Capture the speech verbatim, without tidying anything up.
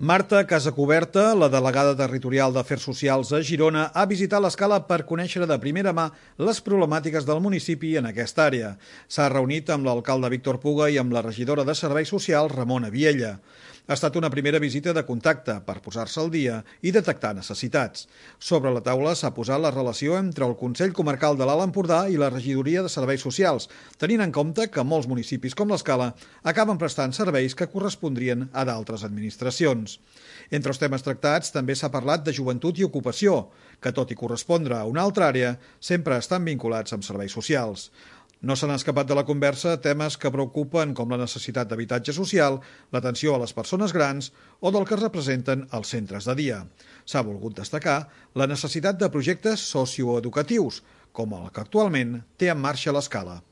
Marta Casacuberta, la delegada territorial d'Afers Socials a Girona, ha visitat l'Escala per conèixer de primera mà les problemàtiques del municipi en aquesta àrea. S'ha reunit amb l'alcalde Víctor Puga i amb la regidora de Serveis Socials, Ramona Viella. Ha estat una primera visita de contacte per posar-se al dia i detectar necessitats. Sobre la taula s'ha posat la relació entre el Consell Comarcal de l'Alt Empordà i la Regidoria de Serveis Socials, tenint en compte que molts municipis com l'Escala acaben prestant serveis que correspondrien a d'altres administracions. Entre els temes tractats també s'ha parlat de joventut i ocupació, que tot i correspondre a una altra àrea, sempre estan vinculats amb serveis socials. No s'han escapat de la conversa temes que preocupen com la necessitat d'habitatge social, l'atenció a les persones grans o del que representen els centres de dia. S'ha volgut destacar la necessitat de projectes socioeducatius, com el que actualment té en marxa l'Escala.